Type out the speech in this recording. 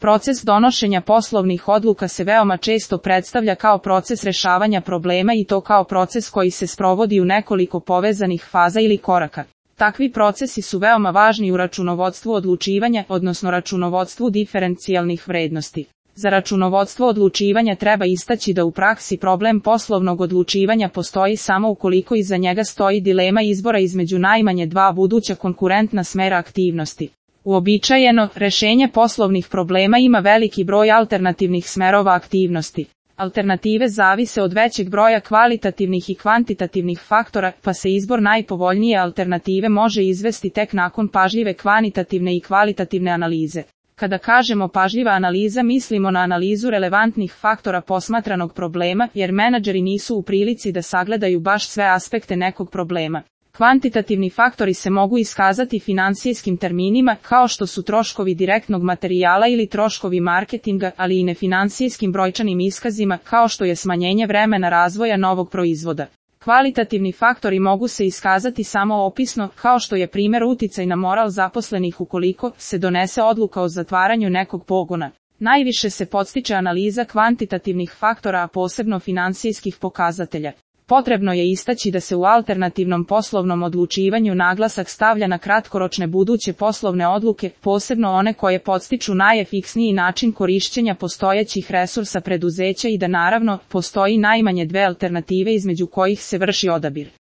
Proces donošenja poslovnih odluka se veoma često predstavlja kao proces rešavanja problema i to kao proces koji se sprovodi u nekoliko povezanih faza ili koraka. Takvi procesi su veoma važni u računovodstvu odlučivanja, odnosno računovodstvu diferencijalnih vrednosti. Za računovodstvo odlučivanja treba istaći da u praksi problem poslovnog odlučivanja postoji samo ukoliko iza njega stoji dilema izbora između najmanje dva buduća konkurentna smera aktivnosti. Uobičajeno, rešenje poslovnih problema ima veliki broj alternativnih smerova aktivnosti. Alternative zavise od većeg broja kvalitativnih i kvantitativnih faktora, pa se izbor najpovoljnije alternative može izvesti tek nakon pažljive kvantitativne i kvalitativne analize. Kada kažemo pažljiva analiza, mislimo na analizu relevantnih faktora posmatranog problema, jer menadžeri nisu u prilici da sagledaju baš sve aspekte nekog problema. Kvantitativni faktori se mogu iskazati finansijskim terminima, kao što su troškovi direktnog materijala ili troškovi marketinga, ali i nefinансijskim brojčanim iskazima, kao što je smanjenje vremena razvoja novog proizvoda. Kvalitativni faktori mogu se iskazati samo opisno, kao što je primjer uticaj na moral zaposlenih ukoliko se donese odluka o zatvaranju nekog pogona. Najviše se podstiče analiza kvantitativnih faktora, a posebno finansijskih pokazatelja. Potrebno je istaći da se u alternativnom poslovnom odlučivanju naglasak stavlja na kratkoročne buduće poslovne odluke, posebno one koje podstiču najefiksniji način korišćenja postojećih resursa preduzeća i da naravno, postoji najmanje dve alternative između kojih se vrši odabir.